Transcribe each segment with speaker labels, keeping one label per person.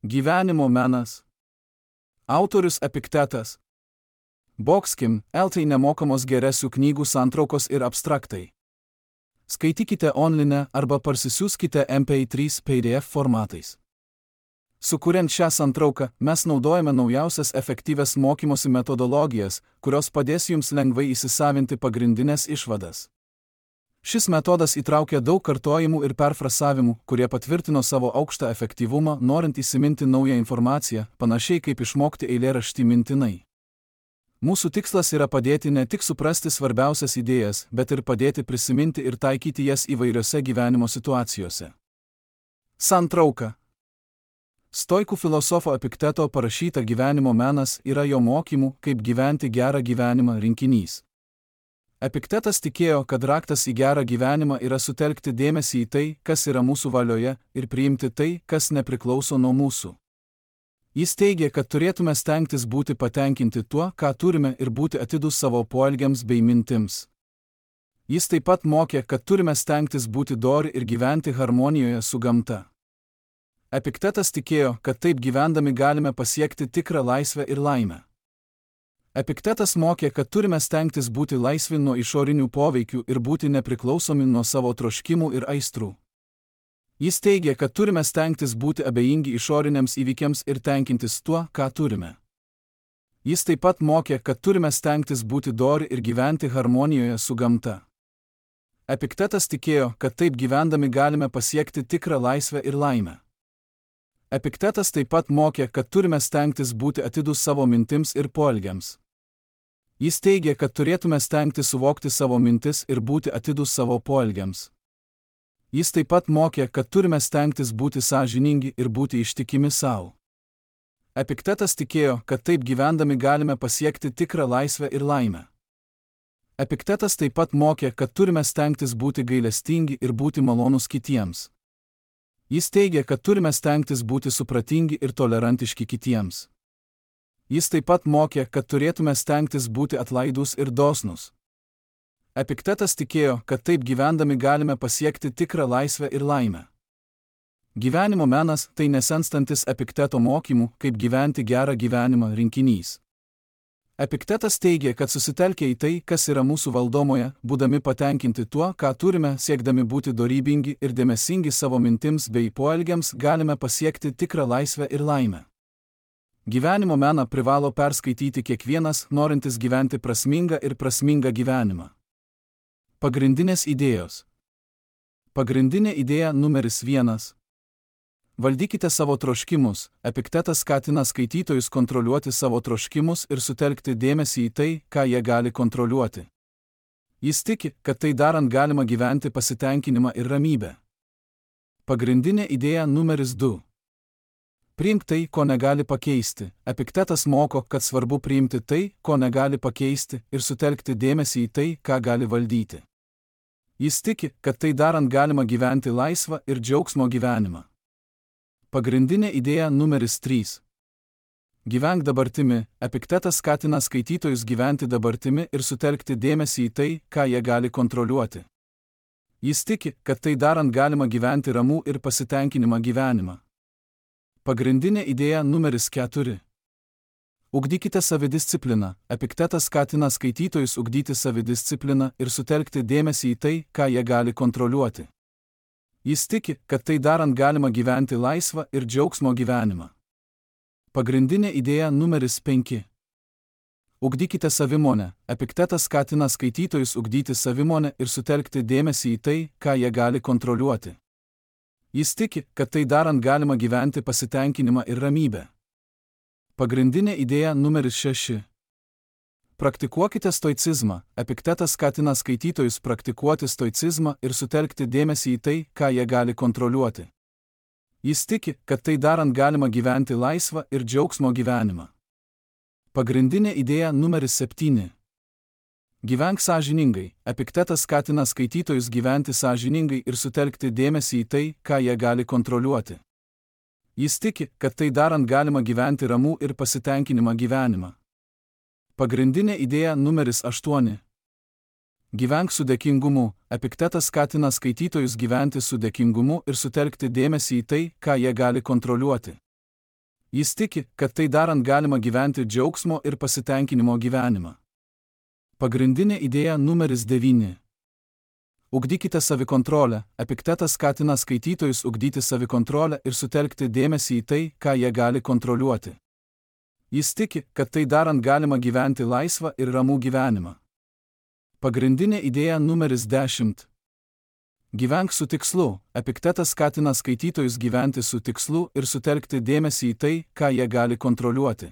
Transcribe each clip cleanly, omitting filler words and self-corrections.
Speaker 1: Gyvenimo menas. Autorius Epiktetas. Boxkim, LT nemokamos geresių knygų santraukos ir abstraktai. Skaitykite online arba parsisiųskite MP3 PDF formatais. Sukuriant šią santrauką, mes naudojame naujausias efektyvias mokymosi metodologijas, kurios padės jums lengvai įsisavinti pagrindinės išvadas. Šis metodas įtraukia daug kartojimų ir perfrasavimų, kurie patvirtino savo aukštą efektyvumą, norint įsiminti naują informaciją, panašiai kaip išmokti eilėraštį mintinai. Mūsų tikslas yra padėti ne tik suprasti svarbiausias idėjas, bet ir padėti prisiminti ir taikyti jas įvairiose gyvenimo situacijose. Santrauka. Stoikų filosofo Epikteto parašyta Gyvenimo menas yra jo mokymų, kaip gyventi gerą gyvenimą rinkinys. Epiktetas tikėjo, kad raktas į gerą gyvenimą yra sutelkti dėmesį į tai, kas yra mūsų valioje, ir priimti tai, kas nepriklauso nuo mūsų. Jis teigė, kad turėtume stengtis būti patenkinti tuo, ką turime, ir būti atidūs savo poelgiams bei mintims. Jis taip pat mokė, kad turime stengtis būti dori ir gyventi harmonijoje su gamta. Epiktetas tikėjo, kad taip gyvendami galime pasiekti tikrą laisvę ir laimę. Epiktetas mokė, kad turime stengtis būti laisvi nuo išorinių poveikių ir būti nepriklausomi nuo savo troškimų ir aistrų. Jis teigė, kad turime stengtis būti abejingi išoriniams įvykiams ir tenkintis tuo, ką turime. Jis taip pat mokė, kad turime stengtis būti dori ir gyventi harmonijoje su gamta. Epiktetas tikėjo, kad taip gyvendami galime pasiekti tikrą laisvę ir laimę. Epiktetas taip pat mokė, kad turime stengtis būti atidūs savo mintims ir poelgiams. Jis teigė, kad turėtume stengtis suvokti savo mintis ir būti atidūs savo poelgiams. Jis taip pat mokė, kad turime stengtis būti sąžiningi ir būti ištikimi savo. Epiktetas tikėjo, kad taip gyvendami galime pasiekti tikrą laisvę ir laimę. Epiktetas taip pat mokė, kad turime stengtis būti gailestingi ir būti malonūs kitiems. Jis teigė, kad turime stengtis būti supratingi ir tolerantiški kitiems. Jis taip pat mokė, kad turėtume stengtis būti atlaidūs ir dosnūs. Epiktetas tikėjo, kad taip gyvendami galime pasiekti tikrą laisvę ir laimę. Gyvenimo menas tai nesenstantis Epikteto mokymų, kaip gyventi gerą gyvenimą rinkinys. Epiktetas teigė, kad susitelkę į tai, kas yra mūsų valdomoje, būdami patenkinti tuo, ką turime, siekdami būti dorybingi ir dėmesingi savo mintims bei poelgiams, galime pasiekti tikrą laisvę ir laimę. Gyvenimo meną privalo perskaityti kiekvienas, norintis gyventi prasmingą ir prasmingą gyvenimą. Pagrindinės idėjos. Pagrindinė idėja numeris 1. Valdykite savo troškimus. Epiktetas skatina skaitytojus kontroliuoti savo troškimus ir sutelkti dėmesį į tai, ką jie gali kontroliuoti. Jis tiki, kad tai darant galima gyventi pasitenkinimą ir ramybę. Pagrindinė idėja numeris 2. Priimk tai, ko negali pakeisti. Epiktetas moko, kad svarbu priimti tai, ko negali pakeisti, ir sutelkti dėmesį į tai, ką gali valdyti. Jis tiki, kad tai darant galima gyventi laisvą ir džiaugsmo gyvenimą. Pagrindinė idėja numeris 3. Gyvenk dabartimi. Epiktetas skatina skaitytojus gyventi dabartimi ir sutelkti dėmesį į tai, ką jie gali kontroliuoti. Jis tiki, kad tai darant galima gyventi ramų ir pasitenkinimą gyvenimą. Pagrindinė idėja numeris 4. Ugdykite savidiscipliną. Epiktetas skatina skaitytojus ugdyti savidiscipliną ir sutelkti dėmesį į tai, ką jie gali kontroliuoti. Jis tiki, kad tai darant galima gyventi laisvą ir džiaugsmo gyvenimą. Pagrindinė idėja numeris 5. Ugdykite savimonę. Epiktetas skatina skaitytojus ugdyti savimonę ir sutelkti dėmesį į tai, ką jie gali kontroliuoti. Jis tiki, kad tai darant galima gyventi pasitenkinimą ir ramybę. Pagrindinė idėja numeris 6. Praktikuokite stoicizmą. Epiktetas skatina skaitytojus praktikuoti stoicizmą ir sutelkti dėmesį į tai, ką jie gali kontroliuoti. Jis tiki, kad tai darant galima gyventi laisvą ir džiaugsmo gyvenimą. Pagrindinė idėja numeris 7. Gyvenk sąžiningai. Epiktetas skatina skaitytojus gyventi sąžiningai ir sutelkti dėmesį į tai, ką jie gali kontroliuoti. Jis tiki, kad tai darant galima gyventi ramų ir pasitenkinimą gyvenimą. Pagrindinė idėja numeris 8. Gyvenk su dėkingumu. Epiktetas skatina skaitytojus gyventi su dėkingumu ir sutelkti dėmesį į tai, ką jie gali kontroliuoti. Jis tiki, kad tai darant galima gyventi džiaugsmo ir pasitenkinimo gyvenimą. Pagrindinė idėja numeris 9. Ugdykite savikontrolę. Epiktetas skatina skaitytojus ugdyti savikontrolę ir sutelkti dėmesį į tai, ką jie gali kontroliuoti. Jis tiki, kad tai darant galima gyventi laisvą ir ramų gyvenimą. Pagrindinė idėja numeris 10. Gyvenk su tikslu. Epiktetas skatina skaitytojus gyventi su tikslu ir sutelkti dėmesį į tai, ką jie gali kontroliuoti.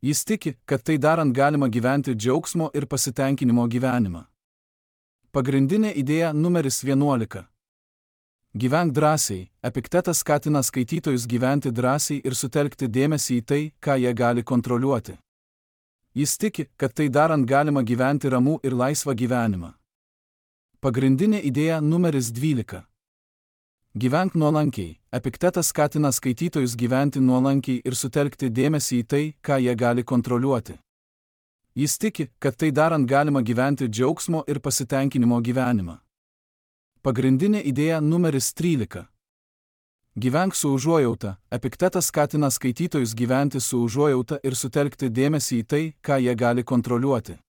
Speaker 1: Jis tiki, kad tai darant galima gyventi džiaugsmo ir pasitenkinimo gyvenimą. Pagrindinė idėja numeris 11. Gyvenk drąsiai. Epiktetas skatina skaitytojus gyventi drąsiai ir sutelkti dėmesį į tai, ką jie gali kontroliuoti. Jis tiki, kad tai darant galima gyventi ramų ir laisvą gyvenimą. Pagrindinė idėja numeris 12. Gyvenk nuolankiai. Epiktetas skatina skaitytojus gyventi nuolankiai ir sutelkti dėmesį į tai, ką jie gali kontroliuoti. Jis tiki, kad tai darant galima gyventi džiaugsmo ir pasitenkinimo gyvenimą. Pagrindinė idėja numeris 13. Gyvenk su užuojauta. Epiktetas skatina skaitytojus gyventi su užuojauta ir sutelkti dėmesį į tai, ką jie gali kontroliuoti.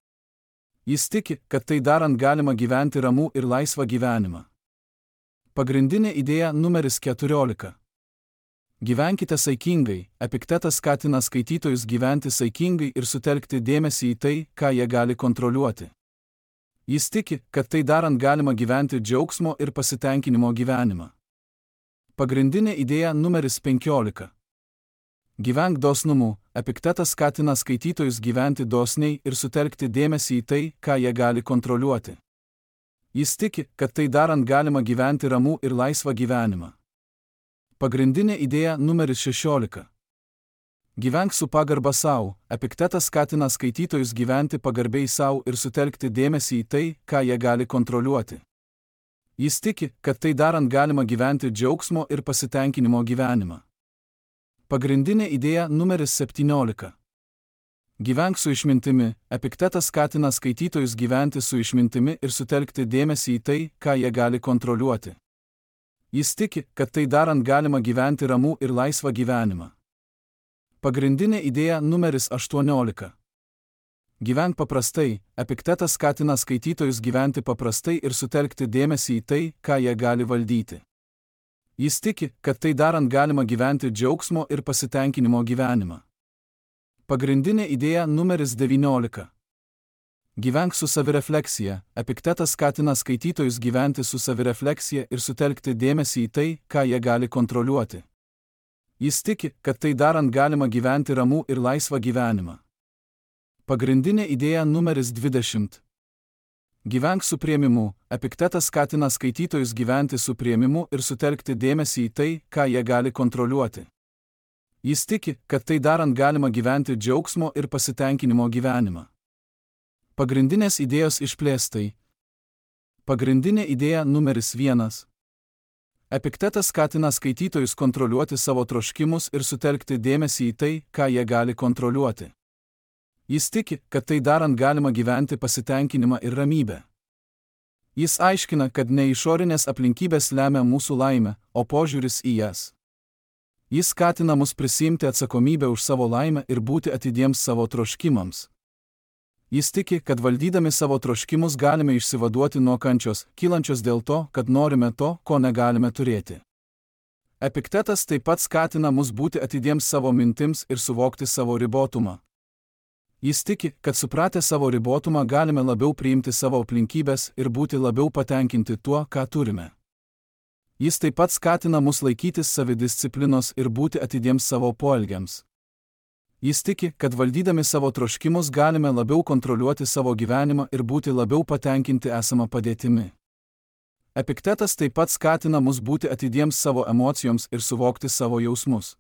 Speaker 1: Jis tiki, kad tai darant galima gyventi ramų ir laisvą gyvenimą. Pagrindinė idėja numeris 14. Gyvenkite saikingai. Epiktetas skatina skaitytojus gyventi saikingai ir sutelkti dėmesį į tai, ką jie gali kontroliuoti. Jis tiki, kad tai darant galima gyventi džiaugsmo ir pasitenkinimo gyvenimą. Pagrindinė idėja numeris 15. Gyvenk dosnumu. Epiktetas skatina skaitytojus gyventi dosniai ir sutelkti dėmesį į tai, ką jie gali kontroliuoti. Jis tiki, kad tai darant galima gyventi ramų ir laisvą gyvenimą. Pagrindinė idėja numeris 16. Gyvenk su pagarba sau. Epiktetas skatina skaitytojus gyventi pagarbiai sau ir sutelkti dėmesį į tai, ką jie gali kontroliuoti. Jis tiki, kad tai darant galima gyventi džiaugsmo ir pasitenkinimo gyvenimą. Pagrindinė idėja numeris 17. Gyvenk su išmintimi. Epiktetas skatina skaitytojus gyventi su išmintimi ir sutelkti dėmesį į tai, ką jie gali kontroliuoti. Jis tiki, kad tai darant galima gyventi ramų ir laisvą gyvenimą. Pagrindinė idėja numeris 18. Gyvenk paprastai. Epiktetas skatina skaitytojus gyventi paprastai ir sutelkti dėmesį į tai, ką jie gali valdyti. Jis tiki, kad tai darant galima gyventi džiaugsmo ir pasitenkinimo gyvenimą. Pagrindinė idėja numeris 19. Gyvenk su savirefleksija. Epiktetas skatina skaitytojus gyventi su savirefleksija ir sutelkti dėmesį į tai, ką jie gali kontroliuoti. Jis tiki, kad tai darant galima gyventi ramų ir laisvą gyvenimą. Pagrindinė idėja numeris 20. Gyvenk su priėmimu. Epiktetas skatina skaitytojus gyventi su priėmimu ir sutelkti dėmesį į tai, ką jie gali kontroliuoti. Jis tiki, kad tai darant galima gyventi džiaugsmo ir pasitenkinimo gyvenimą. Pagrindinės idėjos išplėstai. Pagrindinė idėja numeris 1. Epiktetas skatina skaitytojus kontroliuoti savo troškimus ir sutelkti dėmesį į tai, ką jie gali kontroliuoti. Jis tiki, kad tai darant galima gyventi pasitenkinimą ir ramybę. Jis aiškina, kad ne išorinės aplinkybės lemia mūsų laimę, o požiūris į jas. Jis skatina mus prisiimti atsakomybę už savo laimę ir būti atidiems savo troškimams. Jis tiki, kad valdydami savo troškimus galime išsivaduoti nuo kančios, kylančios dėl to, kad norime to, ko negalime turėti. Epiktetas taip pat skatina mus būti atidiems savo mintims ir suvokti savo ribotumą. Jis tiki, kad supratę savo ribotumą galime labiau priimti savo aplinkybės ir būti labiau patenkinti tuo, ką turime. Jis taip pat skatina mus laikytis savidisciplinos ir būti atidiems savo poelgiams. Jis tiki, kad valdydami savo troškimus galime labiau kontroliuoti savo gyvenimą ir būti labiau patenkinti esamą padėtimi. Epiktetas taip pat skatina mus būti atidiems savo emocijoms ir suvokti savo jausmus.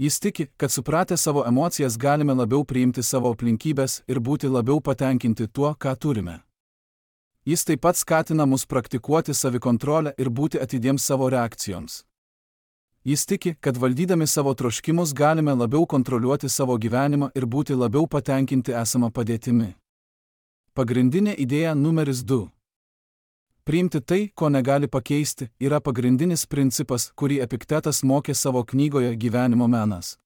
Speaker 1: Jis tiki, kad supratę savo emocijas galime labiau priimti savo aplinkybės ir būti labiau patenkinti tuo, ką turime. Jis taip pat skatina mus praktikuoti savikontrolę ir būti atidiems savo reakcijoms. Jis tiki, kad valdydami savo troškimus galime labiau kontroliuoti savo gyvenimą ir būti labiau patenkinti esamą padėtimi. Pagrindinė idėja numeris 2. Priimti tai, ko negali pakeisti, yra pagrindinis principas, kurį Epiktetas mokė savo knygoje Gyvenimo menas.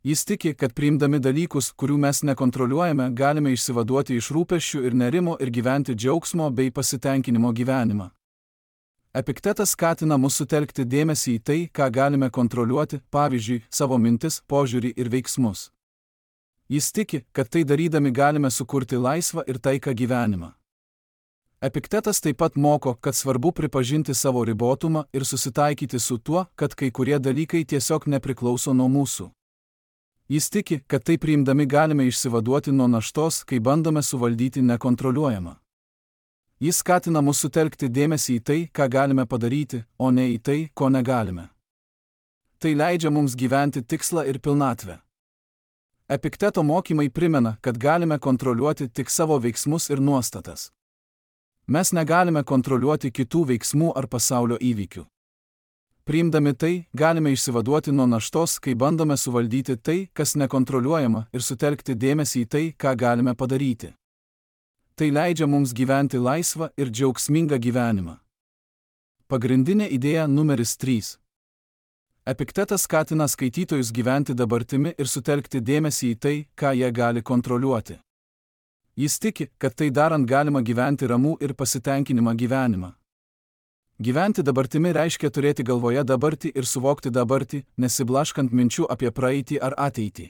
Speaker 1: Jis tiki, kad priimdami dalykus, kurių mes nekontroliuojame, galime išsivaduoti iš rūpesčių ir nerimo ir gyventi džiaugsmo bei pasitenkinimo gyvenimą. Epiktetas skatina mus sutelkti dėmesį į tai, ką galime kontroliuoti, pavyzdžiui, savo mintis, požiūrį ir veiksmus. Jis tiki, kad tai darydami galime sukurti laisvą ir taiką gyvenimą. Epiktetas taip pat moko, kad svarbu pripažinti savo ribotumą ir susitaikyti su tuo, kad kai kurie dalykai tiesiog nepriklauso nuo mūsų. Jis tiki, kad tai priimdami galime išsivaduoti nuo naštos, kai bandome suvaldyti nekontroliuojamą. Jis skatina mus sutelkti dėmesį į tai, ką galime padaryti, o ne į tai, ko negalime. Tai leidžia mums gyventi tikslą ir pilnatvę. Epikteto mokymai primena, kad galime kontroliuoti tik savo veiksmus ir nuostatas. Mes negalime kontroliuoti kitų veiksmų ar pasaulio įvykių. Priimdami tai, galime išsivaduoti nuo naštos, kai bandome suvaldyti tai, kas nekontroliuojama, ir sutelkti dėmesį į tai, ką galime padaryti. Tai leidžia mums gyventi laisvą ir džiaugsmingą gyvenimą. Pagrindinė idėja numeris 3. Epiktetas skatina skaitytojus gyventi dabartimi ir sutelkti dėmesį į tai, ką jie gali kontroliuoti. Jis tiki, kad tai darant galima gyventi ramų ir pasitenkinimą gyvenimą. Gyventi dabartimi reiškia turėti galvoje dabartį ir suvokti dabartį, nesiblaškant minčių apie praeitį ar ateitį.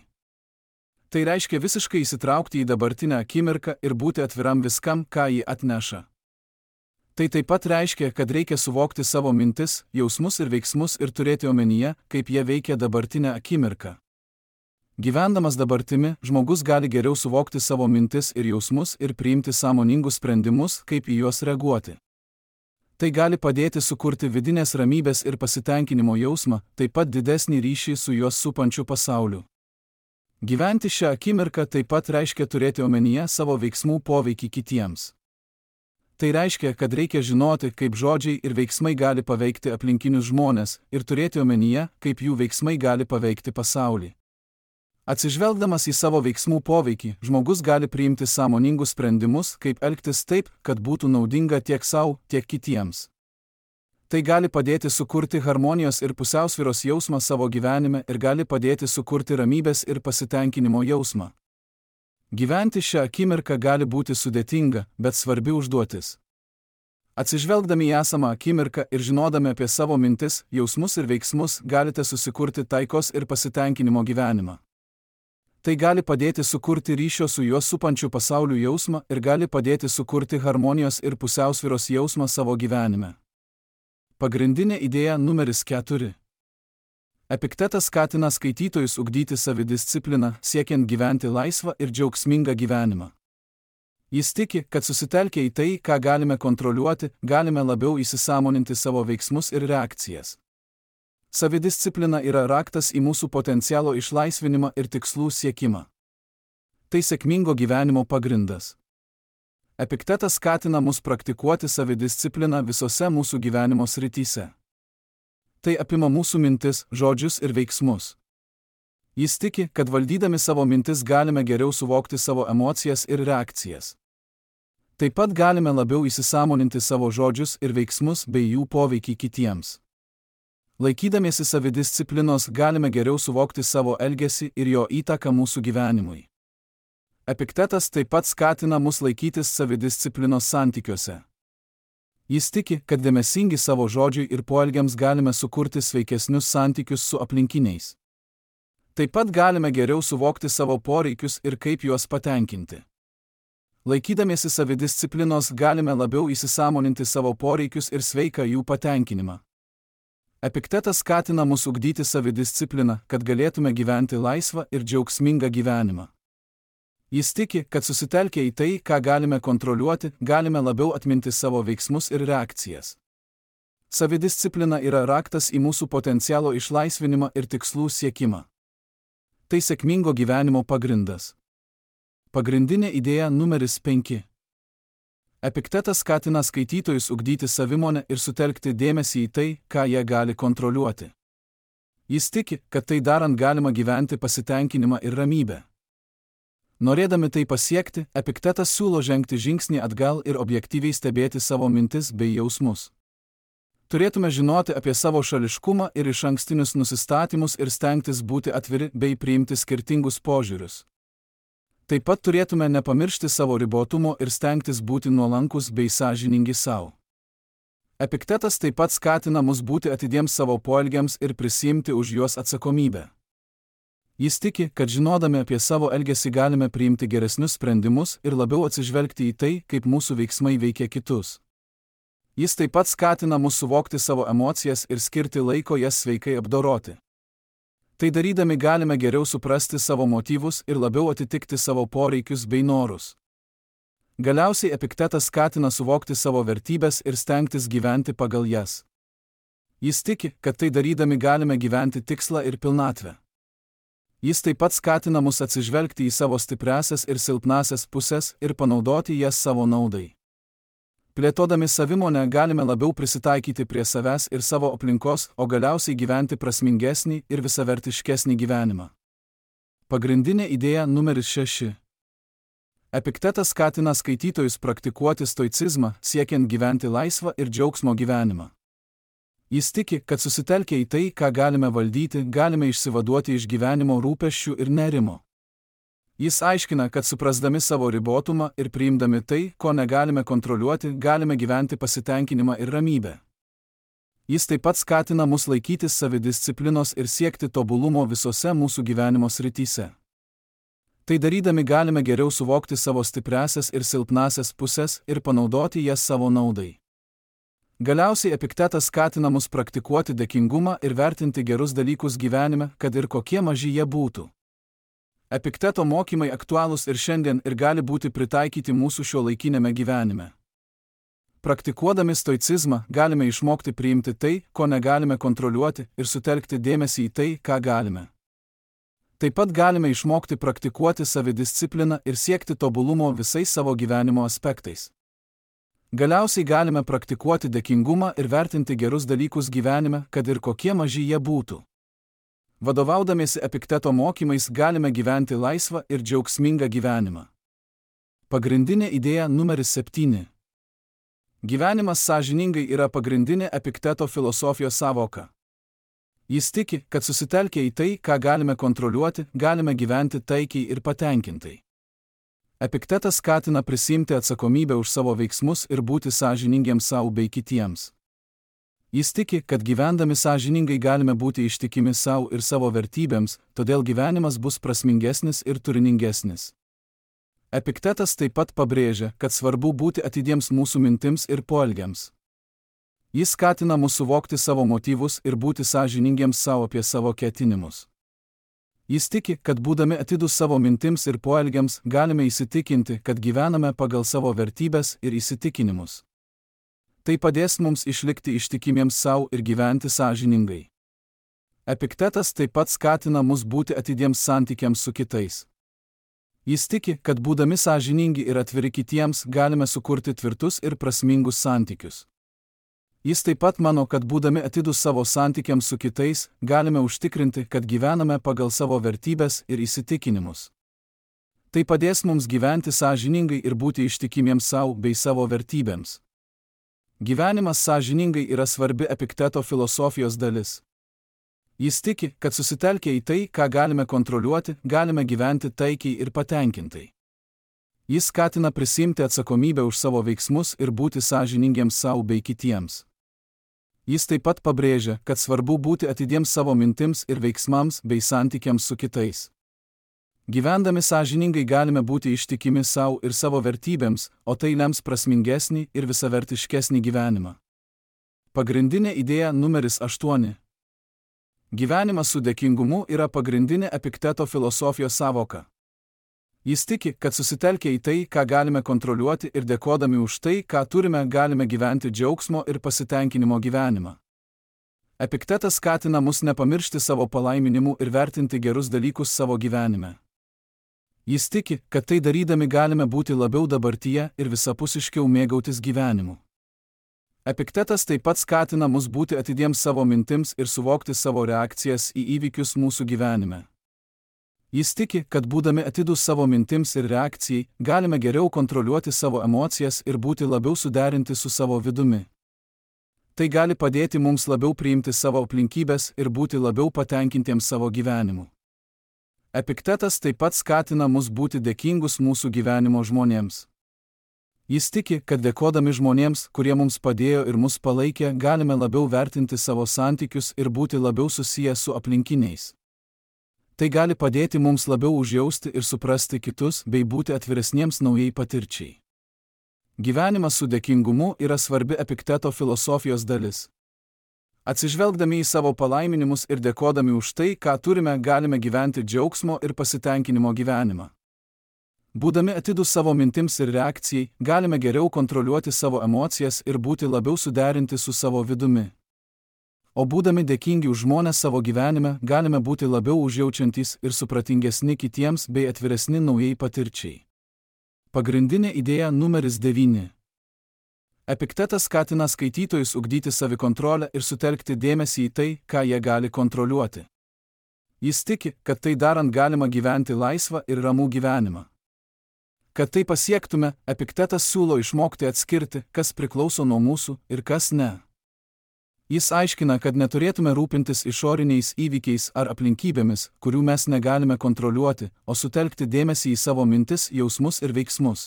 Speaker 1: Tai reiškia visiškai įsitraukti į dabartinę akimirką ir būti atviram viskam, ką ji atneša. Tai taip pat reiškia, kad reikia suvokti savo mintis, jausmus ir veiksmus ir turėti omenyje, kaip jie veikia dabartinę akimirką. Gyvendamas dabartimi, žmogus gali geriau suvokti savo mintis ir jausmus ir priimti sąmoningus sprendimus, kaip į juos reaguoti. Tai gali padėti sukurti vidinės ramybės ir pasitenkinimo jausmą, taip pat didesnį ryšį su juos supančiu pasauliu. Gyventi šią akimirką taip pat reiškia turėti omenyje savo veiksmų poveikį kitiems. Tai reiškia, kad reikia žinoti, kaip žodžiai ir veiksmai gali paveikti aplinkinius žmones ir turėti omenyje, kaip jų veiksmai gali paveikti pasaulį. Atsižvelgdamas į savo veiksmų poveikį, žmogus gali priimti sąmoningus sprendimus, kaip elgtis taip, kad būtų naudinga tiek sau, tiek kitiems. Tai gali padėti sukurti harmonijos ir pusiausvyros jausmą savo gyvenime ir gali padėti sukurti ramybės ir pasitenkinimo jausmą. Gyventi šią akimirką gali būti sudėtinga, bet svarbi užduotis. Atsižvelgdami į esamą akimirką ir žinodami apie savo mintis, jausmus ir veiksmus, galite susikurti taikos ir pasitenkinimo gyvenimą. Tai gali padėti sukurti ryšio su juos supančiu pasauliu jausmą ir gali padėti sukurti harmonijos ir pusiausvyros jausmą savo gyvenime. Pagrindinė idėja numeris 4. Epiktetas skatina skaitytojus ugdyti savidiscipliną, siekiant gyventi laisvą ir džiaugsmingą gyvenimą. Jis tiki, kad susitelkę į tai, ką galime kontroliuoti, galime labiau įsisąmoninti savo veiksmus ir reakcijas. Savidisciplina yra raktas į mūsų potencialo išlaisvinimą ir tikslų siekimą. Tai sėkmingo gyvenimo pagrindas. Epiktetas skatina mus praktikuoti savidiscipliną visose mūsų gyvenimo srityse. Tai apima mūsų mintis, žodžius ir veiksmus. Jis tiki, kad valdydami savo mintis galime geriau suvokti savo emocijas ir reakcijas. Taip pat galime labiau įsisąmoninti savo žodžius ir veiksmus bei jų poveikį kitiems. Laikydamiesi savidisciplinos galime geriau suvokti savo elgesį ir jo įtaką mūsų gyvenimui. Epiktetas taip pat skatina mus laikytis savidisciplinos santykiuose. Jis tiki, kad dėmesingi savo žodžiui ir poelgiams galime sukurti sveikesnius santykius su aplinkiniais. Taip pat galime geriau suvokti savo poreikius ir kaip juos patenkinti. Laikydamiesi savidisciplinos galime labiau įsisąmoninti savo poreikius ir sveiką jų patenkinimą. Epiktetas skatina mus ugdyti savidiscipliną, kad galėtume gyventi laisvą ir džiaugsmingą gyvenimą. Jis tiki, kad susitelkę į tai, ką galime kontroliuoti, galime labiau atminti savo veiksmus ir reakcijas. Savidisciplina yra raktas į mūsų potencialo išlaisvinimą ir tikslų siekimą. Tai sėkmingo gyvenimo pagrindas. Pagrindinė idėja numeris 5. Epiktetas skatina skaitytojus ugdyti savimonę ir sutelkti dėmesį į tai, ką jie gali kontroliuoti. Jis tiki, kad tai darant galima gyventi pasitenkinimą ir ramybę. Norėdami tai pasiekti, Epiktetas siūlo žengti žingsnį atgal ir objektyviai stebėti savo mintis bei jausmus. Turėtume žinoti apie savo šališkumą ir išankstinius nusistatymus ir stengtis būti atviri bei priimti skirtingus požiūrius. Taip pat turėtume nepamiršti savo ribotumo ir stengtis būti nuolankus bei sąžiningi savo. Epiktetas taip pat skatina mus būti atidiems savo poelgiams ir prisiimti už juos atsakomybę. Jis tiki, kad žinodami apie savo elgesį galime priimti geresnius sprendimus ir labiau atsižvelgti į tai, kaip mūsų veiksmai veikia kitus. Jis taip pat skatina mus suvokti savo emocijas ir skirti laiko jas sveikai apdoroti. Tai darydami galime geriau suprasti savo motyvus ir labiau atitikti savo poreikius bei norus. Galiausiai Epiktetas skatina suvokti savo vertybes ir stengtis gyventi pagal jas. Jis tiki, kad tai darydami galime gyventi tikslą ir pilnatvę. Jis taip pat skatina mus atsižvelgti į savo stipriąsias ir silpnąsias pusės ir panaudoti jas savo naudai. Plėtodami savimonę galime labiau prisitaikyti prie savęs ir savo aplinkos, o galiausiai gyventi prasmingesnį ir visavertiškesnį gyvenimą. Pagrindinė idėja numeris 6. Epiktetas skatina skaitytojus praktikuoti stoicizmą, siekiant gyventi laisvą ir džiaugsmo gyvenimą. Jis tiki, kad susitelkę į tai, ką galime valdyti, galime išsivaduoti iš gyvenimo rūpesčių ir nerimo. Jis aiškina, kad suprasdami savo ribotumą ir priimdami tai, ko negalime kontroliuoti, galime gyventi pasitenkinimą ir ramybę. Jis taip pat skatina mus laikytis savidisciplinos ir siekti tobulumo visose mūsų gyvenimo srityse. Tai darydami galime geriau suvokti savo stipriąsias ir silpnąsias pusės ir panaudoti jas savo naudai. Galiausiai Epiktetas skatina mus praktikuoti dėkingumą ir vertinti gerus dalykus gyvenime, kad ir kokie maži jie būtų. Epikteto mokymai aktualūs ir šiandien ir gali būti pritaikyti mūsų šiuolaikinėme gyvenime. Praktikuodami stoicizmą galime išmokti priimti tai, ko negalime kontroliuoti ir sutelkti dėmesį į tai, ką galime. Taip pat galime išmokti praktikuoti savidiscipliną ir siekti tobulumo visais savo gyvenimo aspektais. Galiausiai galime praktikuoti dėkingumą ir vertinti gerus dalykus gyvenime, kad ir kokie maži jie būtų. Vadovaudamiesi Epikteto mokymais galime gyventi laisvą ir džiaugsmingą gyvenimą. Pagrindinė idėja numeris 7. Gyvenimas sąžiningai yra pagrindinė Epikteto filosofijos sąvoka. Jis tiki, kad susitelkę į tai, ką galime kontroliuoti, galime gyventi taikiai ir patenkintai. Epiktetas skatina prisiimti atsakomybę už savo veiksmus ir būti sąžiningiems savo bei kitiems. Jis tiki, kad gyvendami sąžiningai galime būti ištikimi savo ir savo vertybėms, todėl gyvenimas bus prasmingesnis ir turiningesnis. Epiktetas taip pat pabrėžia, kad svarbu būti atidiems mūsų mintims ir poelgiams. Jis skatina mus suvokti savo motyvus ir būti sąžiningiems savo apie savo ketinimus. Jis tiki, kad būdami atidūs savo mintims ir poelgiams galime įsitikinti, kad gyvename pagal savo vertybes ir įsitikinimus. Tai padės mums išlikti ištikimiems savo ir gyventi sąžiningai. Epiktetas taip pat skatina mus būti atidiems santykiams su kitais. Jis tiki, kad būdami sąžiningi ir atviri kitiems galime sukurti tvirtus ir prasmingus santykius. Jis taip pat mano, kad būdami atidūs savo santykiams su kitais, galime užtikrinti, kad gyvename pagal savo vertybes ir įsitikinimus. Tai padės mums gyventi sąžiningai ir būti ištikimiems savo bei savo vertybėms. Gyvenimas sąžiningai yra svarbi Epikteto filosofijos dalis. Jis tiki, kad susitelkę į tai, ką galime kontroliuoti, galime gyventi taikiai ir patenkintai. Jis skatina prisiimti atsakomybę už savo veiksmus ir būti sąžiningiems savo bei kitiems. Jis taip pat pabrėžia, kad svarbu būti atidiems savo mintims ir veiksmams bei santykiams su kitais. Gyvendami sąžiningai galime būti ištikimi savo ir savo vertybėms, o tai lems prasmingesnį ir visavertiškesnį gyvenimą. Pagrindinė idėja numeris 8. Gyvenimas su dėkingumu yra pagrindinė Epikteto filosofijos sąvoka. Jis tiki, kad susitelkę į tai, ką galime kontroliuoti ir dėkodami už tai, ką turime, galime gyventi džiaugsmo ir pasitenkinimo gyvenimą. Epiktetas skatina mus nepamiršti savo palaiminimų ir vertinti gerus dalykus savo gyvenime. Jis tiki, kad tai darydami galime būti labiau dabartyje ir visapusiškiau mėgautis gyvenimu. Epiktetas taip pat skatina mus būti atidiems savo mintims ir suvokti savo reakcijas į įvykius mūsų gyvenime. Jis tiki, kad būdami atidūs savo mintims ir reakcijai, galime geriau kontroliuoti savo emocijas ir būti labiau suderinti su savo vidumi. Tai gali padėti mums labiau priimti savo aplinkybės ir būti labiau patenkintiems savo gyvenimu. Epiktetas taip pat skatina mus būti dėkingus mūsų gyvenimo žmonėms. Jis tiki, kad dėkodami žmonėms, kurie mums padėjo ir mus palaikė, galime labiau vertinti savo santykius ir būti labiau susiję su aplinkiniais. Tai gali padėti mums labiau užjausti ir suprasti kitus bei būti atviresniems naujai patirčiai. Gyvenimas su dėkingumu yra svarbi Epikteto filosofijos dalis. Atsižvelgdami į savo palaiminimus ir dėkodami už tai, ką turime, galime gyventi džiaugsmo ir pasitenkinimo gyvenimą. Būdami atidūs savo mintims ir reakcijai, galime geriau kontroliuoti savo emocijas ir būti labiau suderinti su savo vidumi. O būdami dėkingi už žmones savo gyvenime, galime būti labiau užjaučiantys ir supratingesni kitiems bei atviresni naujai patirčiai. Pagrindinė idėja numeris 9. Epiktetas skatina skaitytojus ugdyti savikontrolę ir sutelkti dėmesį į tai, ką jie gali kontroliuoti. Jis tiki, kad tai darant galima gyventi laisvą ir ramų gyvenimą. Kad tai pasiektume, Epiktetas siūlo išmokti atskirti, kas priklauso nuo mūsų ir kas ne. Jis aiškina, kad neturėtume rūpintis išoriniais įvykiais ar aplinkybėmis, kurių mes negalime kontroliuoti, o sutelkti dėmesį į savo mintis, jausmus ir veiksmus.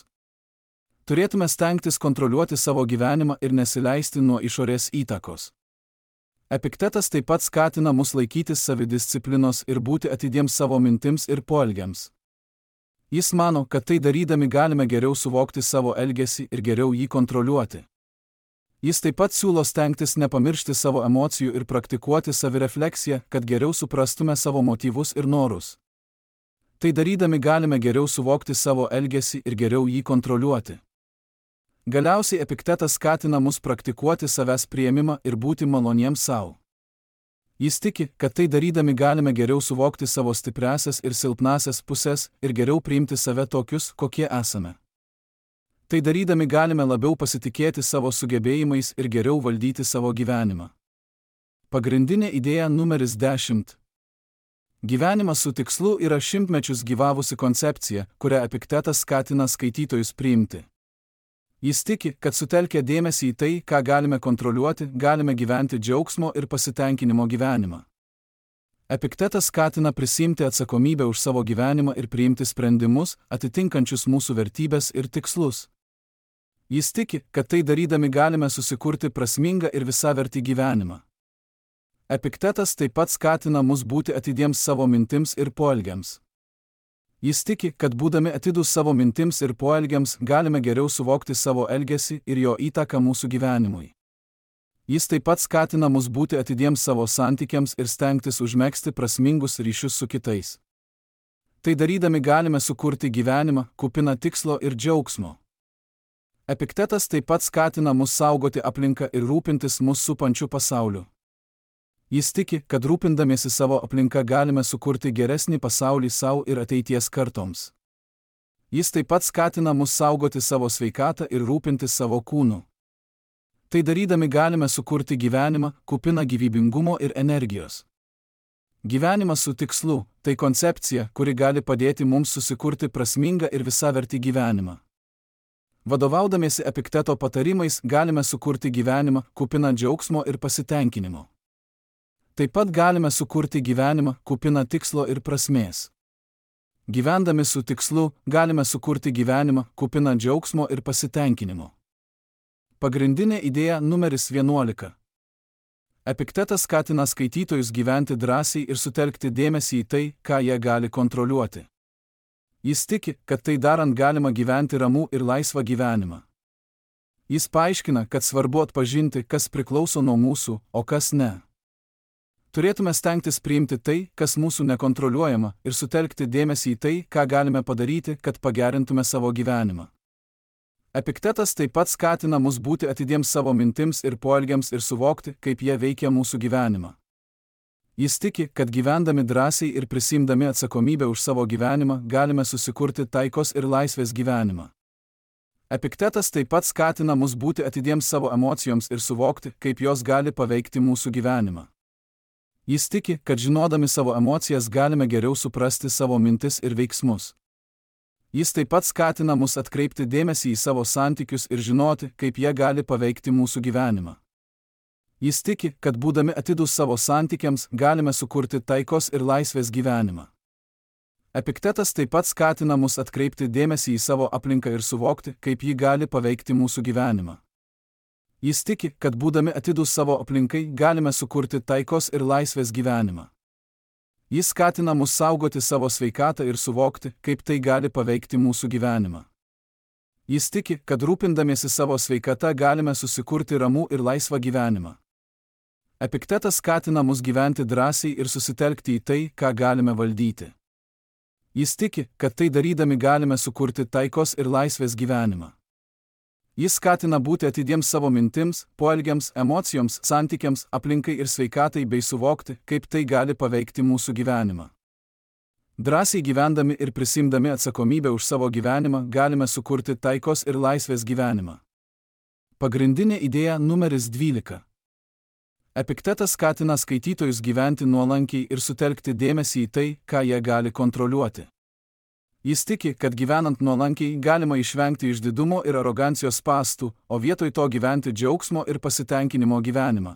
Speaker 1: Turėtume stengtis kontroliuoti savo gyvenimą ir nesileisti nuo išorės įtakos. Epiktetas taip pat skatina mus laikytis savidisciplinos ir būti atidiems savo mintims ir poelgiams. Jis mano, kad tai darydami galime geriau suvokti savo elgesį ir geriau jį kontroliuoti. Jis taip pat siūlo stengtis nepamiršti savo emocijų ir praktikuoti savirefleksiją, kad geriau suprastume savo motyvus ir norus. Tai darydami galime geriau suvokti savo elgesį ir geriau jį kontroliuoti. Galiausiai Epiktetas skatina mus praktikuoti savęs priėmimą ir būti maloniems savo. Jis tiki, kad tai darydami galime geriau suvokti savo stipriąsias ir silpnąsias pusės ir geriau priimti save tokius, kokie esame. Tai darydami galime labiau pasitikėti savo sugebėjimais ir geriau valdyti savo gyvenimą. Pagrindinė idėja numeris 10. Gyvenimas su tikslu yra šimtmečius gyvavusi koncepcija, kurią Epiktetas skatina skaitytojus priimti. Jis tiki, kad sutelkę dėmesį į tai, ką galime kontroliuoti, galime gyventi džiaugsmo ir pasitenkinimo gyvenimą. Epiktetas skatina prisiimti atsakomybę už savo gyvenimą ir priimti sprendimus, atitinkančius mūsų vertybės ir tikslus. Jis tiki, kad tai darydami galime susikurti prasmingą ir visavertį gyvenimą. Epiktetas taip pat skatina mus būti atidiems savo mintims ir poelgiams. Jis tiki, kad būdami atidūs savo mintims ir poelgiams galime geriau suvokti savo elgesį ir jo įtaką mūsų gyvenimui. Jis taip pat skatina mus būti atidiems savo santykiams ir stengtis užmegzti prasmingus ryšius su kitais. Tai darydami galime sukurti gyvenimą, kupiną tikslo ir džiaugsmo. Epiktetas taip pat skatina mus saugoti aplinką ir rūpintis mus supančiu pasauliu. Jis tiki, kad rūpindamiesi savo aplinką galime sukurti geresnį pasaulį savo ir ateities kartoms. Jis taip pat skatina mus saugoti savo sveikatą ir rūpintis savo kūnu. Tai darydami galime sukurti gyvenimą, kupiną gyvybingumo ir energijos. Gyvenimas su tikslu – tai koncepcija, kuri gali padėti mums susikurti prasmingą ir visavertį gyvenimą. Vadovaudamiesi Epikteto patarimais galime sukurti gyvenimą, kupiną džiaugsmo ir pasitenkinimo. Taip pat galime sukurti gyvenimą, kupiną tikslo ir prasmės. Gyvendami su tikslu, galime sukurti gyvenimą, kupiną džiaugsmo ir pasitenkinimo. Pagrindinė idėja numeris 11. Epiktetas skatina skaitytojus gyventi drąsiai ir sutelkti dėmesį į tai, ką jie gali kontroliuoti. Jis tiki, kad tai darant galima gyventi ramų ir laisvą gyvenimą. Jis paaiškina, kad svarbu atpažinti, kas priklauso nuo mūsų, o kas ne. Turėtume stengtis priimti tai, kas mūsų nekontroliuojama, ir sutelkti dėmesį į tai, ką galime padaryti, kad pagerintume savo gyvenimą. Epiktetas taip pat skatina mus būti atidiems savo mintims ir poelgiams ir suvokti, kaip jie veikia mūsų gyvenimą. Jis tiki, kad gyvendami drąsiai ir prisiimdami atsakomybę už savo gyvenimą galime susikurti taikos ir laisvės gyvenimą. Epiktetas taip pat skatina mus būti atidiems savo emocijoms ir suvokti, kaip jos gali paveikti mūsų gyvenimą. Jis tiki, kad žinodami savo emocijas galime geriau suprasti savo mintis ir veiksmus. Jis taip pat skatina mus atkreipti dėmesį į savo santykius ir žinoti, kaip jie gali paveikti mūsų gyvenimą. Jis tiki, kad būdami atidūs savo santykiams galime sukurti taikos ir laisvės gyvenimą. Epiktetas taip pat skatina mus atkreipti dėmesį į savo aplinką ir suvokti, kaip ji gali paveikti mūsų gyvenimą. Jis tiki, kad būdami atidūs savo aplinkai galime sukurti taikos ir laisvės gyvenimą. Jis skatina mus saugoti savo sveikatą ir suvokti, kaip tai gali paveikti mūsų gyvenimą. Jis tiki, kad rūpindamiesi savo sveikata galime susikurti ramų ir laisvą gyvenimą. Epiktetas skatina mus gyventi drąsiai ir susitelkti į tai, ką galime valdyti. Jis tiki, kad tai darydami galime sukurti taikos ir laisvės gyvenimą. Jis skatina būti atidiems savo mintims, poelgiams, emocijoms, santykiams, aplinkai ir sveikatai bei suvokti, kaip tai gali paveikti mūsų gyvenimą. Drąsiai gyvendami ir prisimdami atsakomybę už savo gyvenimą galime sukurti taikos ir laisvės gyvenimą. Pagrindinė idėja numeris 12. Epiktetas skatina skaitytojus gyventi nuolankiai ir sutelkti dėmesį į tai, ką jie gali kontroliuoti. Jis tiki, kad gyvenant nuolankiai galima išvengti išdidumo ir arogancijos spąstų, o vietoj to gyventi džiaugsmo ir pasitenkinimo gyvenimą.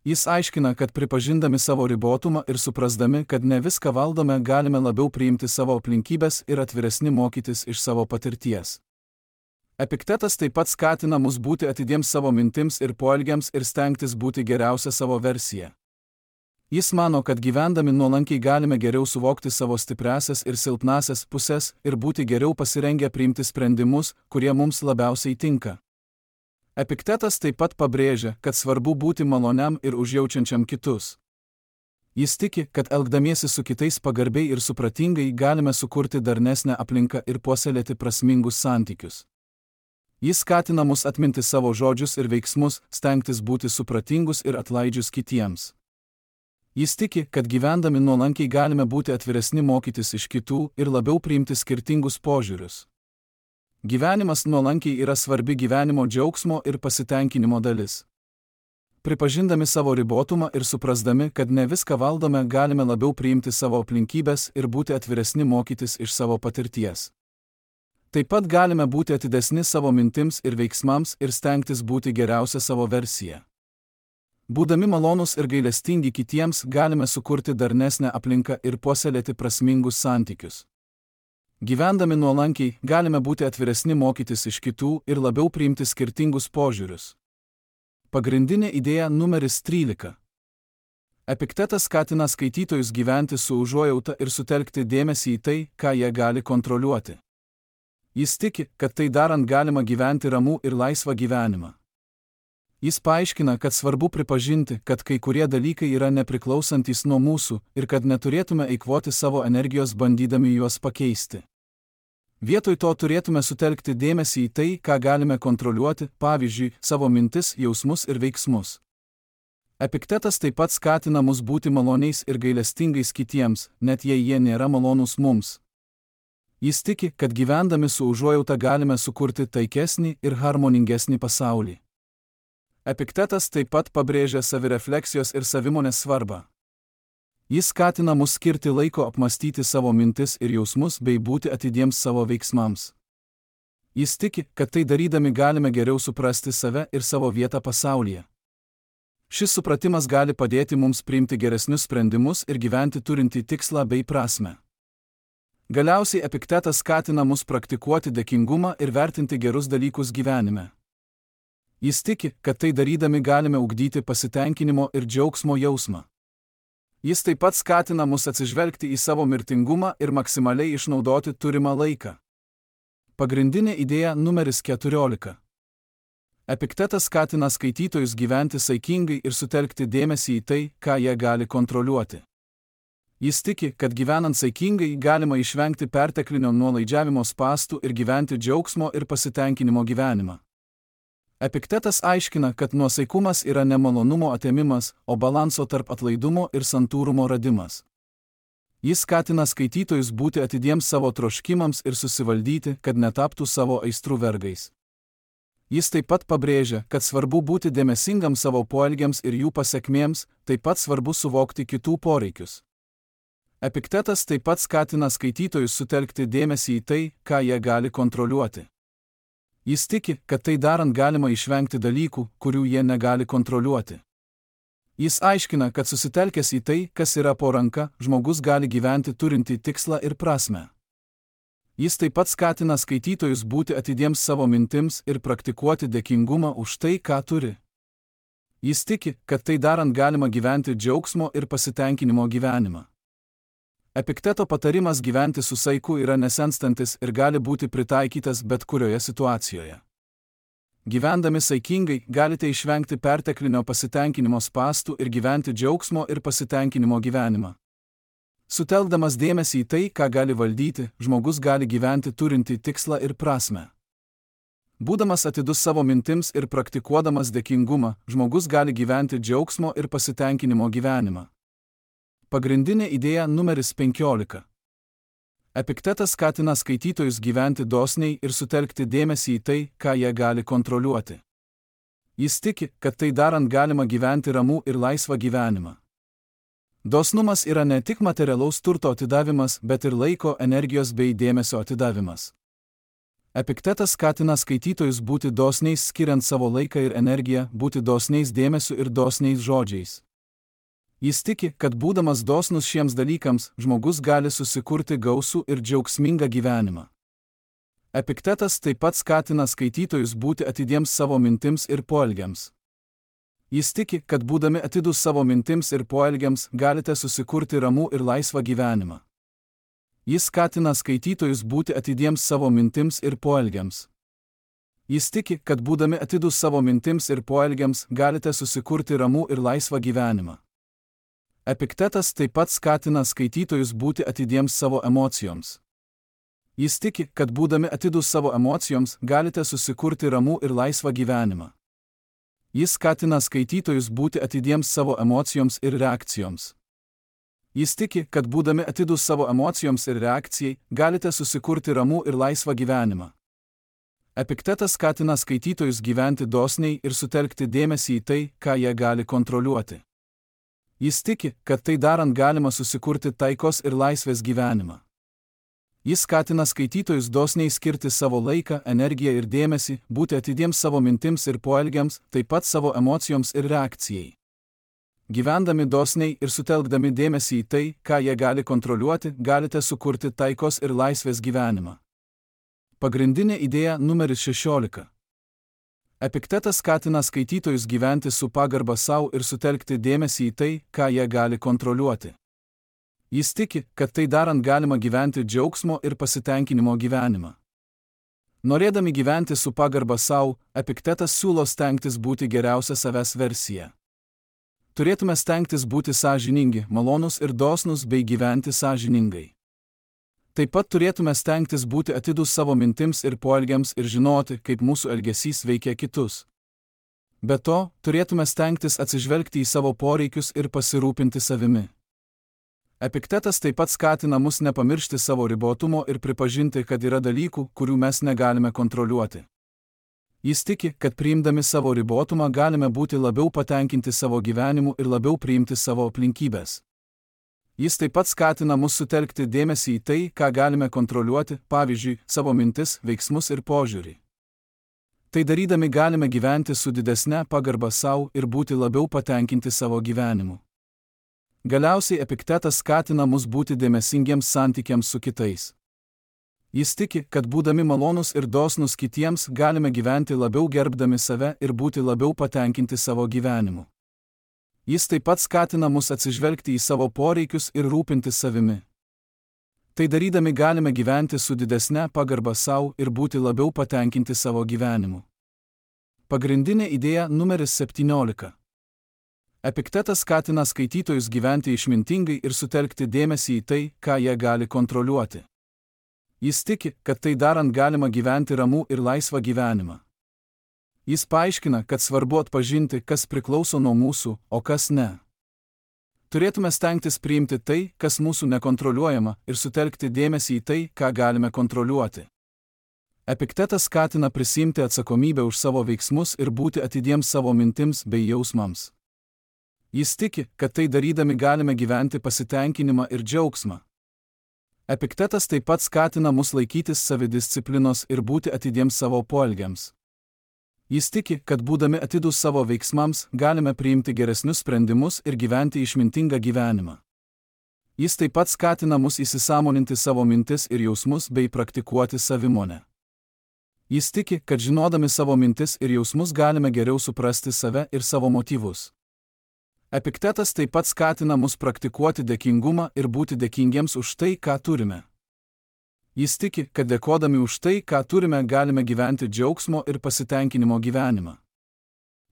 Speaker 1: Jis aiškina, kad pripažindami savo ribotumą ir suprasdami, kad ne viską valdome, galime labiau priimti savo aplinkybes ir atviresni mokytis iš savo patirties. Epiktetas taip pat skatina mus būti atidiems savo mintims ir poelgiams ir stengtis būti geriausia savo versija. Jis mano, kad gyvendami nuolankiai galime geriau suvokti savo stipriąsias ir silpnąsias pusės ir būti geriau pasirengę priimti sprendimus, kurie mums labiausiai tinka. Epiktetas taip pat pabrėžia, kad svarbu būti maloniam ir užjaučiančiam kitus. Jis tiki, kad elgdamiesi su kitais pagarbiai ir supratingai galime sukurti darnesnę aplinką ir puoselėti prasmingus santykius. Jis skatina mus atminti savo žodžius ir veiksmus, stengtis būti supratingus ir atlaidžius kitiems. Jis tiki, kad gyvendami nuolankiai galime būti atviresni mokytis iš kitų ir labiau priimti skirtingus požiūrius. Gyvenimas nuolankiai yra svarbi gyvenimo džiaugsmo ir pasitenkinimo dalis. Pripažindami savo ribotumą ir suprasdami, kad ne viską valdome, galime labiau priimti savo aplinkybes ir būti atviresni mokytis iš savo patirties. Taip pat galime būti atidesni savo mintims ir veiksmams ir stengtis būti geriausia savo versija. Būdami malonūs ir gailestingi kitiems galime sukurti darnesnę aplinką ir puoselėti prasmingus santykius. Gyvendami nuolankiai galime būti atviresni mokytis iš kitų ir labiau priimti skirtingus požiūrius. Pagrindinė idėja numeris 13. Epiktetas skatina skaitytojus gyventi su užuojauta ir sutelkti dėmesį į tai, ką jie gali kontroliuoti. Jis tiki, kad tai darant galima gyventi ramų ir laisvą gyvenimą. Jis paaiškina, kad svarbu pripažinti, kad kai kurie dalykai yra nepriklausantis nuo mūsų ir kad neturėtume eikvoti savo energijos bandydami juos pakeisti. Vietoj to turėtume sutelkti dėmesį į tai, ką galime kontroliuoti, pavyzdžiui, savo mintis, jausmus ir veiksmus. Epiktetas taip pat skatina mus būti maloniais ir gailestingais kitiems, net jei jie nėra malonūs mums. Jis tiki, kad gyvendami su užuojauta galime sukurti taikesnį ir harmoningesnį pasaulį. Epiktetas taip pat pabrėžia savirefleksijos ir savimonės svarbą. Jis skatina mus skirti laiko apmastyti savo mintis ir jausmus bei būti atidiems savo veiksmams. Jis tiki, kad tai darydami galime geriau suprasti save ir savo vietą pasaulyje. Šis supratimas gali padėti mums priimti geresnius sprendimus ir gyventi turintį tikslą bei prasmę. Galiausiai Epiktetas skatina mus praktikuoti dėkingumą ir vertinti gerus dalykus gyvenime. Jis tiki, kad tai darydami galime ugdyti pasitenkinimo ir džiaugsmo jausmą. Jis taip pat skatina mus atsižvelgti į savo mirtingumą ir maksimaliai išnaudoti turimą laiką. Pagrindinė idėja numeris 14. Epiktetas skatina skaitytojus gyventi saikingai ir sutelkti dėmesį į tai, ką jie gali kontroliuoti. Jis tiki, kad gyvenant saikingai galima išvengti perteklinio nuolaidžiavimo spąstų ir gyventi džiaugsmo ir pasitenkinimo gyvenimą. Epiktetas aiškina, kad nuosaikumas yra ne malonumo atėmimas, o balanso tarp atlaidumo ir santūrumo radimas. Jis skatina skaitytojus būti atidiems savo troškimams ir susivaldyti, kad netaptų savo aistrų vergais. Jis taip pat pabrėžia, kad svarbu būti dėmesingam savo poelgiams ir jų pasekmėms, taip pat svarbu suvokti kitų poreikius. Epiktetas taip pat skatina skaitytojus sutelkti dėmesį į tai, ką jie gali kontroliuoti. Jis tiki, kad tai darant galima išvengti dalykų, kurių jie negali kontroliuoti. Jis aiškina, kad susitelkęs į tai, kas yra po ranka, žmogus gali gyventi turinti tikslą ir prasmę. Jis taip pat skatina skaitytojus būti atidiems savo mintims ir praktikuoti dėkingumą už tai, ką turi. Jis tiki, kad tai darant galima gyventi džiaugsmo ir pasitenkinimo gyvenimą. Epikteto patarimas gyventi su saiku yra nesenstantis ir gali būti pritaikytas bet kurioje situacijoje. Gyvendami saikingai galite išvengti perteklinio pasitenkinimo spąstų ir gyventi džiaugsmo ir pasitenkinimo gyvenimą. Sutelkdamas dėmesį į tai, ką gali valdyti, žmogus gali gyventi turinti tikslą ir prasmę. Būdamas atidus savo mintims ir praktikuodamas dėkingumą, žmogus gali gyventi džiaugsmo ir pasitenkinimo gyvenimą. Pagrindinė idėja numeris 15. Epiktetas skatina skaitytojus gyventi dosniai ir sutelkti dėmesį į tai, ką jie gali kontroliuoti. Jis tiki, kad tai darant galima gyventi ramų ir laisvą gyvenimą. Dosnumas yra ne tik materialaus turto atidavimas, bet ir laiko, energijos bei dėmesio atidavimas. Epiktetas skatina skaitytojus būti dosniais skiriant savo laiką ir energiją, būti dosniais dėmesiu ir dosniais žodžiais. Jis tiki, kad būdamas dosnus šiems dalykams, žmogus gali susikurti gausų ir džiaugsmingą gyvenimą. Epiktetas taip pat skatina skaitytojus būti atidiems savo mintims ir poelgiams. Jis tiki, kad būdami atidus savo mintims ir poelgiams galite susikurti ramų ir laisvą gyvenimą. Jis skatina skaitytojus būti atidiems savo mintims ir poelgiams. Jis tiki, kad būdami atidus savo mintims ir poelgiams galite susikurti ramų ir laisvą gyvenimą. Epiktetas taip pat skatina skaitytojus būti atidiems savo emocijoms. Jis tiki, kad būdami atidus savo emocijoms galite susikurti ramų ir laisvą gyvenimą. Jis skatina skaitytojus būti atidiems savo emocijoms ir reakcijoms. Jis tiki, kad būdami atidus savo emocijoms ir reakcijai, galite susikurti ramų ir laisvą gyvenimą. Epiktetas skatina skaitytojus gyventi dosniai ir sutelkti dėmesį į tai, ką jie gali kontroliuoti. Jis tiki, kad tai darant galima susikurti taikos ir laisvės gyvenimą. Jis skatina skaitytojus dosniai skirti savo laiką, energiją ir dėmesį, būti atidiems savo mintims ir poelgiams, taip pat savo emocijoms ir reakcijai. Gyvendami dosniai ir sutelkdami dėmesį į tai, ką jie gali kontroliuoti, galite sukurti taikos ir laisvės gyvenimą. Pagrindinė idėja numeris 16. Epiktetas skatina skaitytojus gyventi su pagarba sau ir sutelkti dėmesį į tai, ką jie gali kontroliuoti. Jis tiki, kad tai darant galima gyventi džiaugsmo ir pasitenkinimo gyvenimą. Norėdami gyventi su pagarba sau, Epiktetas siūlo stengtis būti geriausia savęs versija. Turėtume stengtis būti sąžiningi, malonūs ir dosnūs bei gyventi sąžiningai. Taip pat turėtume stengtis būti atidus savo mintims ir poelgiams ir žinoti, kaip mūsų elgesys veikia kitus. Be to, turėtume stengtis atsižvelgti į savo poreikius ir pasirūpinti savimi. Epiktetas taip pat skatina mus nepamiršti savo ribotumo ir pripažinti, kad yra dalykų, kurių mes negalime kontroliuoti. Jis tiki, kad priimdami savo ribotumą galime būti labiau patenkinti savo gyvenimu ir labiau priimti savo aplinkybės. Jis taip pat skatina mus sutelkti dėmesį į tai, ką galime kontroliuoti, pavyzdžiui, savo mintis, veiksmus ir požiūrį. Tai darydami galime gyventi su didesne pagarba sau ir būti labiau patenkinti savo gyvenimu. Galiausiai Epiktetas skatina mus būti dėmesingiems santykiams su kitais. Jis tiki, kad būdami malonūs ir dosnūs kitiems galime gyventi labiau gerbdami save ir būti labiau patenkinti savo gyvenimu. Jis taip pat skatina mus atsižvelgti į savo poreikius ir rūpintis savimi. Tai darydami galime gyventi su didesne pagarba sau ir būti labiau patenkinti savo gyvenimu. Pagrindinė idėja numeris 17. Epiktetas skatina skaitytojus gyventi išmintingai ir sutelkti dėmesį į tai, ką jie gali kontroliuoti. Jis tiki, kad tai darant galima gyventi ramų ir laisvą gyvenimą. Jis paaiškina, kad svarbu atpažinti, kas priklauso nuo mūsų, o kas ne. Turėtume stengtis priimti tai, kas mūsų nekontroliuojama, ir sutelkti dėmesį į tai, ką galime kontroliuoti. Epiktetas skatina prisimti atsakomybę už savo veiksmus ir būti atidiems savo mintims bei jausmams. Jis tiki, kad tai darydami galime gyventi pasitenkinimą ir džiaugsmą. Epiktetas taip pat skatina mus laikytis savidisciplinos ir būti atidiems savo poelgiams. Jis tiki, kad būdami atidūs savo veiksmams, galime priimti geresnius sprendimus ir gyventi išmintingą gyvenimą. Jis taip pat skatina mus įsisąmoninti savo mintis ir jausmus bei praktikuoti savimonę. Jis tiki, kad žinodami savo mintis ir jausmus galime geriau suprasti save ir savo motyvus. Epiktetas taip pat skatina mus praktikuoti dėkingumą ir būti dėkingiems už tai, ką turime. Jis tiki, kad dėkodami už tai, ką turime, galime gyventi džiaugsmo ir pasitenkinimo gyvenimą.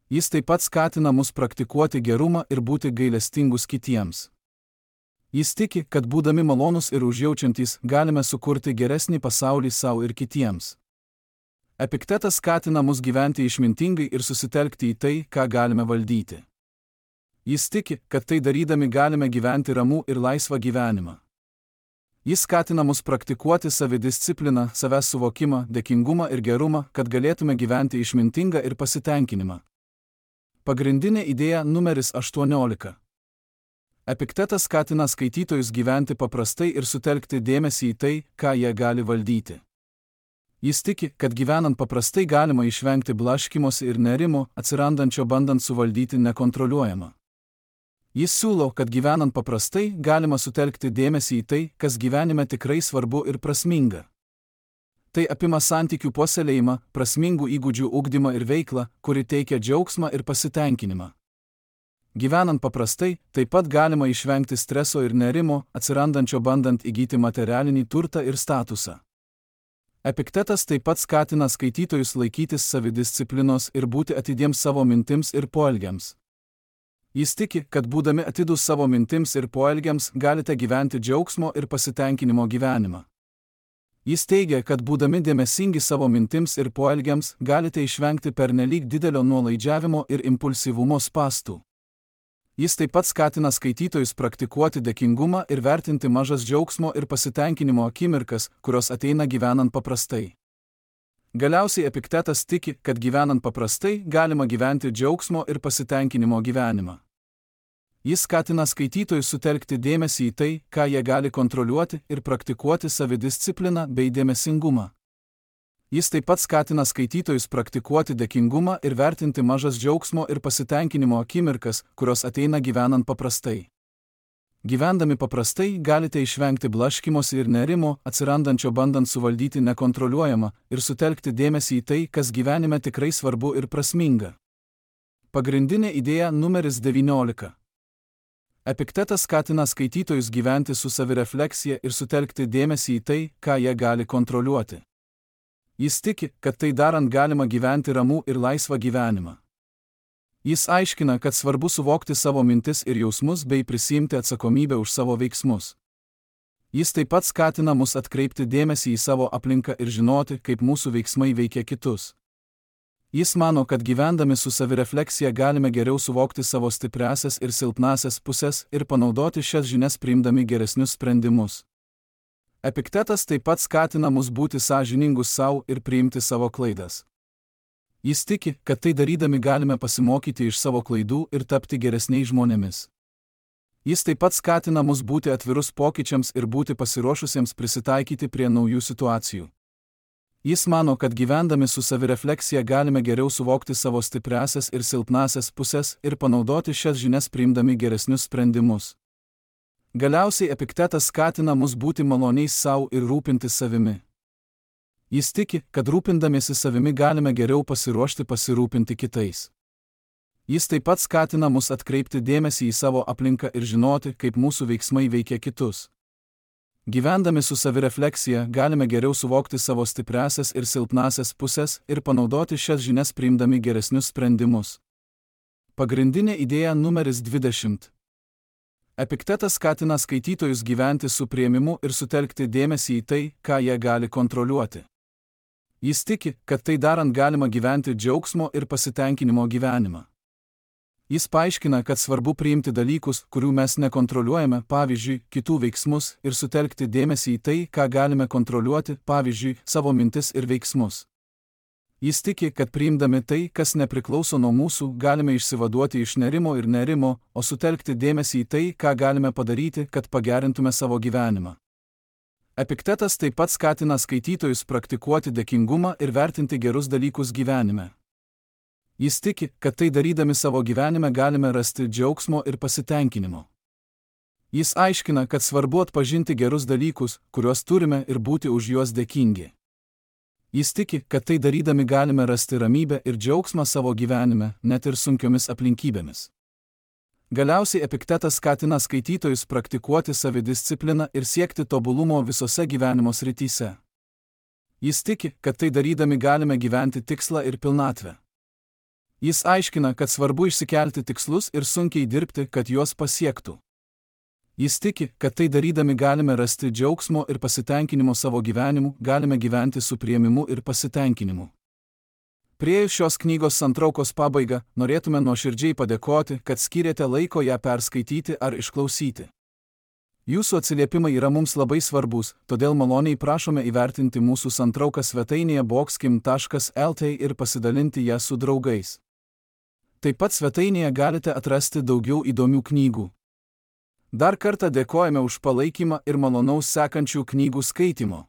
Speaker 1: Jis taip pat skatina mus praktikuoti gerumą ir būti gailestingus kitiems. Jis tiki, kad būdami malonūs ir užjaučiantys, galime sukurti geresnį pasaulį savo ir kitiems. Epiktetas skatina mus gyventi išmintingai ir susitelkti į tai, ką galime valdyti. Jis tiki, kad tai darydami galime gyventi ramų ir laisvą gyvenimą. Jis skatina mus praktikuoti savidiscipliną, savęs suvokimą, dėkingumą ir gerumą, kad galėtume gyventi išmintingą ir pasitenkinimą. Pagrindinė idėja numeris 18. Epiktetas skatina skaitytojus gyventi paprastai ir sutelkti dėmesį į tai, ką jie gali valdyti. Jis tiki, kad gyvenant paprastai galima išvengti blaškymosi ir nerimo, atsirandančio bandant suvaldyti nekontroliuojamą. Jis siūlo, kad gyvenant paprastai galima sutelkti dėmesį į tai, kas gyvenime tikrai svarbu ir prasminga. Tai apima santykių puoselėjimą, prasmingų įgūdžių ugdymą ir veiklą, kuri teikia džiaugsmą ir pasitenkinimą. Gyvenant paprastai, taip pat galima išvengti streso ir nerimo, atsirandančio bandant įgyti materialinį turtą ir statusą. Epiktetas taip pat skatina skaitytojus laikytis savidisciplinos ir būti atidiems savo mintims ir poelgiams. Jis tiki, kad būdami atidūs savo mintims ir poelgiams galite gyventi džiaugsmo ir pasitenkinimo gyvenimą. Jis teigia, kad būdami dėmesingi savo mintims ir poelgiams galite išvengti pernelyg didelio nuolaidžiavimo ir impulsyvumo spąstų. Jis taip pat skatina skaitytojus praktikuoti dėkingumą ir vertinti mažas džiaugsmo ir pasitenkinimo akimirkas, kurios ateina gyvenant paprastai. Galiausiai Epiktetas tiki, kad gyvenant paprastai galima gyventi džiaugsmo ir pasitenkinimo gyvenimą. Jis skatina skaitytojus sutelkti dėmesį į tai, ką jie gali kontroliuoti ir praktikuoti savidiscipliną bei dėmesingumą. Jis taip pat skatina skaitytojus praktikuoti dėkingumą ir vertinti mažas džiaugsmo ir pasitenkinimo akimirkas, kurios ateina gyvenant paprastai. Gyvendami paprastai galite išvengti blaškymosi ir nerimo, atsirandančio bandant suvaldyti nekontroliuojamą, ir sutelkti dėmesį į tai, kas gyvenime tikrai svarbu ir prasminga. Pagrindinė idėja numeris 19. Epiktetas skatina skaitytojus gyventi su savirefleksija ir sutelkti dėmesį į tai, ką jie gali kontroliuoti. Jis tiki, kad tai darant galima gyventi ramų ir laisvą gyvenimą. Jis aiškina, kad svarbu suvokti savo mintis ir jausmus bei prisiimti atsakomybę už savo veiksmus. Jis taip pat skatina mus atkreipti dėmesį į savo aplinką ir žinoti, kaip mūsų veiksmai veikia kitus. Jis mano, kad gyvendami su savirefleksija galime geriau suvokti savo stipriąsias ir silpnąsias puses ir panaudoti šias žinias priimdami geresnius sprendimus. Epiktetas taip pat skatina mus būti sąžiningus savo ir priimti savo klaidas. Jis tiki, kad tai darydami galime pasimokyti iš savo klaidų ir tapti geresniais žmonėmis. Jis taip pat skatina mus būti atvirus pokyčiams ir būti pasiruošusiems prisitaikyti prie naujų situacijų. Jis mano, kad gyvendami su savirefleksija galime geriau suvokti savo stipriąsias ir silpnąsias puses ir panaudoti šias žinias priimdami geresnius sprendimus. Galiausiai Epiktetas skatina mus būti maloniais savo ir rūpintis savimi. Jis tiki, kad rūpindamiesi savimi galime geriau pasiruošti pasirūpinti kitais. Jis taip pat skatina mus atkreipti dėmesį į savo aplinką ir žinoti, kaip mūsų veiksmai veikia kitus. Gyvendami su savirefleksija galime geriau suvokti savo stipriąsias ir silpnąsias puses ir panaudoti šias žinias priimdami geresnius sprendimus. Pagrindinė idėja numeris 20. Epiktetas skatina skaitytojus gyventi su priėmimu ir sutelkti dėmesį į tai, ką jie gali kontroliuoti. Jis tiki, kad tai darant galima gyventi džiaugsmo ir pasitenkinimo gyvenimą. Jis paaiškina, kad svarbu priimti dalykus, kurių mes nekontroliuojame, pavyzdžiui, kitų veiksmus, ir sutelkti dėmesį į tai, ką galime kontroliuoti, pavyzdžiui, savo mintis ir veiksmus. Jis tiki, kad priimdami tai, kas nepriklauso nuo mūsų, galime išsivaduoti iš nerimo ir nerimo, o sutelkti dėmesį į tai, ką galime padaryti, kad pagerintume savo gyvenimą. Epiktetas taip pat skatina skaitytojus praktikuoti dėkingumą ir vertinti gerus dalykus gyvenime. Jis tiki, kad tai darydami savo gyvenime galime rasti džiaugsmo ir pasitenkinimo. Jis aiškina, kad svarbu atpažinti gerus dalykus, kuriuos turime, ir būti už juos dėkingi. Jis tiki, kad tai darydami galime rasti ramybę ir džiaugsmą savo gyvenime, net ir sunkiomis aplinkybėmis. Galiausiai Epiktetas skatina skaitytojus praktikuoti savidiscipliną ir siekti tobulumo visose gyvenimo srityse. Jis tiki, kad tai darydami galime gyventi tikslą ir pilnatvę. Jis aiškina, kad svarbu išsikelti tikslus ir sunkiai dirbti, kad juos pasiektų. Jis tiki, kad tai darydami galime rasti džiaugsmo ir pasitenkinimo savo gyvenimu, galime gyventi su priėmimu ir pasitenkinimu. Priėjus šios knygos santraukos pabaigą, norėtume nuoširdžiai padėkoti, kad skyrėte laiko ją perskaityti ar išklausyti. Jūsų atsiliepimai yra mums labai svarbus, todėl maloniai prašome įvertinti mūsų santrauką svetainėje boxkim.lt ir pasidalinti ją su draugais. Taip pat svetainėje galite atrasti daugiau įdomių knygų. Dar kartą dėkojame už palaikymą ir malonaus sekančių knygų skaitimo.